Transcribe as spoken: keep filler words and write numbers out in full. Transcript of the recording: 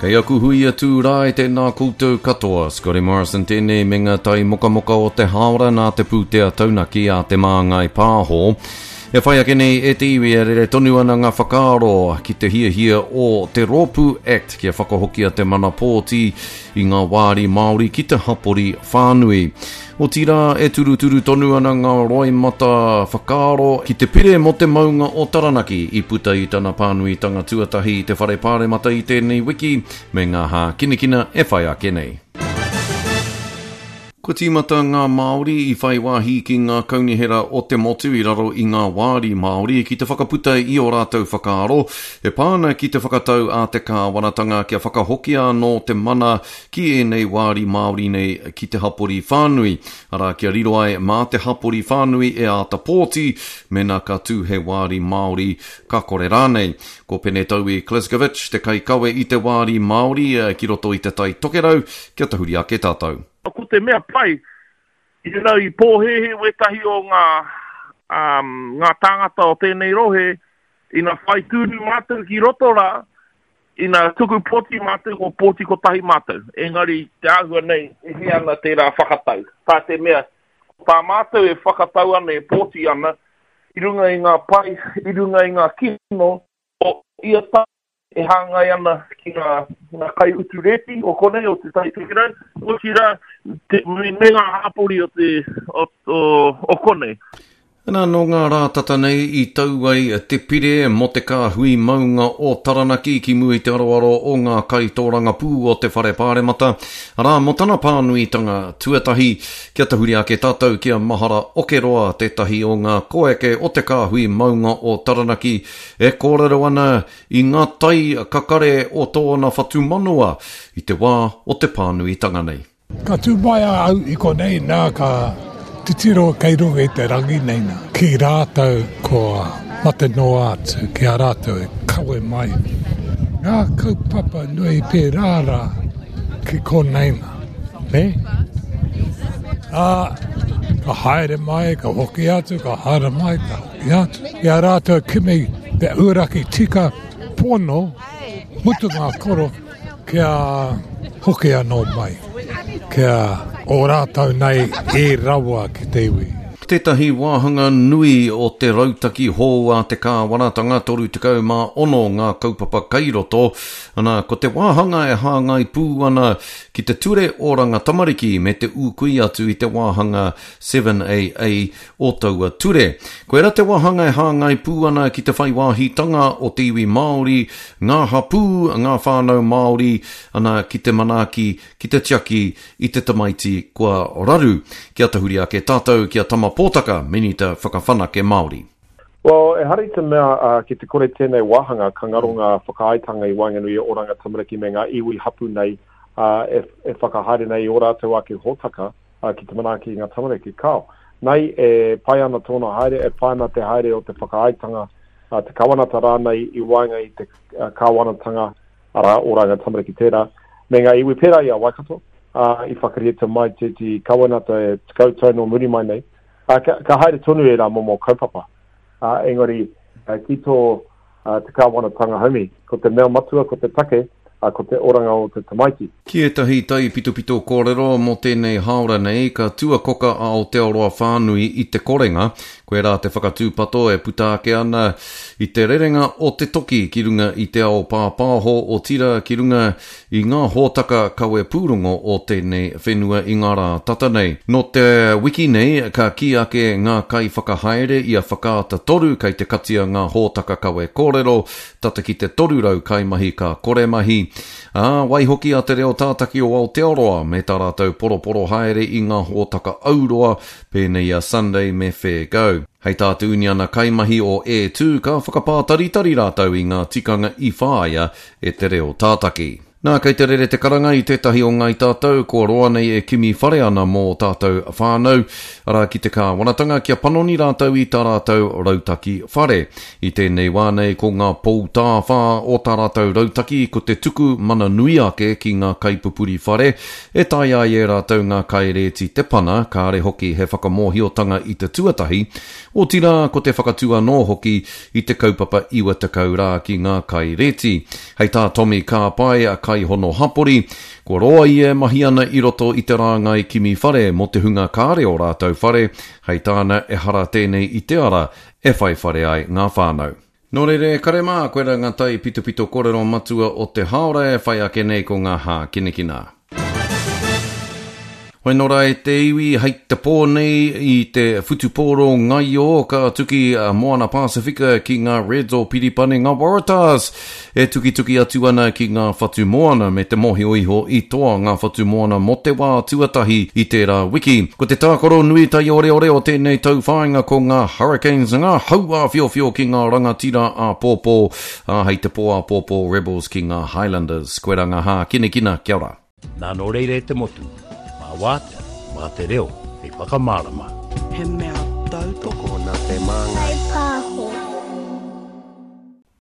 Kei aku hui atu rā e tēnā koutou katoa. Scotty Morrison tēnei me ngā tai mokamoka o te hāora nā te pūtea taunaki a Te Māngai Pāho. E whai ake nei e te iwi e rere tonu ana ngā whakaaro ki te hiahia o te Rōpū Act kia whakahokia te mana pōti i ngā wāri Māori ki te hapori whānui. Otirā e turuturu tonu ana ngā roimata whakaaro ki te pire mō te maunga o Taranaki i puta i tana pānuitanga tuatahi i te whare pāremata i tēnei wiki me ngā hākinakina e whai ake nei. Kua tīmata ngā Māori i whai wāhi ki ngā kaunihera o te motu i raro i ngā wāri Māori ki te whakaputa i ō rātou whakaaro e pā ana ki te whakatau a te kāwanatanga kia whakahokia anō te mana ki ēnei wāri Māori nei ki te hapori whānui. Arā, kia riro ai mā te hapori whānui e āta pōti, mena ka tū he wāri Māori ka kore rānei. Ko Pene Taui Kleskovic te kaikawe i te wāri Māori ki roto i te Tai Tokerau, kia tahuri ake tātou. Ko te mea pai, you know, i pōhēhē wētahi o ngā, um, ngā tāngata o tēnei rohe, ina whai tūru mātou ki roto rā, ina tuku pōti mātou, ko pōti kotahi mātou. Engari, te āhua nei, e hē ana tērā whakatau. Tā te mea, tā mātou e whakatau ana, e pōti ana, i runga i ngā pai, i runga i ngā kino, o ia tau e hāngai ana ki ngā, ngā kai utu rēti o konei, o te Tai Tokerau, otirā, te, me, me ngā hapori o, te, o, o, o konei. Nā, nō ngā rā tata nei i tau ai te pire mō te kāhui maunga o Taranaki ki mua i te aroaro o ngā kaitōrangapū o te whare pāremata. Arā, mō tana pānuitanga tuatahi, kia tahuri ake tātou ki a Mahara Okeroa, tētahi o ngā koeke o te kāhui maunga o Taranaki, e kōrero ana i ngā tai kakare o tōna whatumanawa i te wā o te pānuitanga nei. Ka tū mai a au i konei nā ka titiro kei runga i te rangi nei nā. Ki rātou kua mate noa atu, ki a rātou e kawe mai. Ngā kaupapa nui pērā rā ki konei nā. Ne? Ā, ka haere mai, ka hoki atu, ka haere mai, ka hoki atu. I a rātou kimi te uaraki tika pono, mutu ngā koro, kia hoki anō mai, kia o rātou nei e rawa ki te iwi. Tētahi wāhanga nui o te rautaki hou a te kāwanatanga toru tekau mā ono ngā kaupapa kairoto. Ana, ko te wāhanga e hāngai pū ana ki te ture oranga tamariki me te ūkui atu i te wāhanga seven A A o taua ture. Koira te wāhanga e hāngai pū ana ki te whai wāhitanga o te iwi Māori, ngā hapū, ngā whānau Māori, ana ki te manaaki, ki te tiaki i te tamaiti kua raru. Kia tahuri ake tātou ki a Tama Pōtaka, Minita Whakawhanake Māori. Well, e hari te mea uh, ki te kore tēnei wāhanga, ka ngaro ngā whakaaetanga i waenganui o Oranga Tamariki me ngā iwi hapu nei uh, e, e whakahaere nei i ō rātou ake hōtaka uh, ki te manaaki i ngā tamariki. Kao, nei e pai ana tōna haere, e pai ana te haere o te whakaaetanga, uh, te kawanata rānei i waenga i te uh, kāwanatanga, arā, Oranga Tamariki tērā, me ngā iwi pērā i a Waikato, uh, i whakarite mai te, te kawanata e tekau tau nō muri mai nei. Uh, ka, ka haere tonu e rā momo kaupapa. Uh, engari, uh, ki tō uh, te kāwanatanga haumi, ko te mea matua, ko te take, uh, ko te oranga o te tamaiti. Ki ētahi taipitopito kōrero mō tēnei hāora nei, ka tuakoka a Aotearoa whānui i te korenga. Koe rā te whakatūpato e puta ake ana i te rerenga o te toki ki runga i te ao pāpāho o tira ki runga i ngā hōtaka kawe pūrongo o tēnei whenua i ngā rā tata nei. Nō te wiki nei, ka kī ake ngā kaiwhakahaere i a Whakaata Toru kei te katia ngā hōtaka kawe kōrero, tata ki te toru rau kaimahi ka kore mahi. Ā, waihoki a te reo tātaki o Aotearoa me tā rātou poroporo haere i ngā hōtaka auroa pēnei a Sunday me Fair Go. Hei tā te uniana kaimahi o E two ka whakapātaritari rātou i ngā tikanga i whāia e te reo tātaki. Nā, kei te rere te karanga i tētahi o ngai tātou, kua roa nei e kimi whare ana mō tātou whānau, arā ki te kāwanatanga kia panoni rātou i tā rātou rautaki whare. I tēnei wā nei ko ngā poutāwhā o tā rātou rautaki ko te tuku mana nui ake ki ngā kaipupuri whare, e taea ai e rātou ngā kairēti te pana, kāre hoki he whakamōhiotanga i te tuatahi, otirā ko te whakatū anō hoki i te kaupapa iwa tekau rā ki ngā kairēti. Hei tā Tommy Kāpai, kaihono hapori. Kua roa ia e mahi ana i roto i te rāngai kimi whare mō te hunga kāre o rātou whare, hei tāna ehara tēnei i te ara e whai whare ai ngā whānau. Nō reira e kare mā, koirā ngā taipitopito kōrero matua o te hāora e whai ake nei ko ngā hākinakina. Hoi nō rā e te iwi, hei te pō nei i te whutupōro ngaio ka tuki a Moana Pasifika ki ngā Reds o Piripane, ngā Waratahs e tukituki atu ana ki ngā whatu moana me te mōhio iho i toa ngā whatu moana mō te wā tuatahi i tērā wiki. Ko te tākaro nui taioreore o tēnei tauwhāinga ko ngā Hurricanes, ngā hau āwhiowhio ki ngā rangatira āpōpō, ā, hei te pō āpōpō Rebels ki ngā Highlanders. Koirā ngā hākinakina, kia ora. Nā nō reira e te motu, mā wātea, mā te reo, hei whakamārama. He mea tautoko. Tokona te māngai.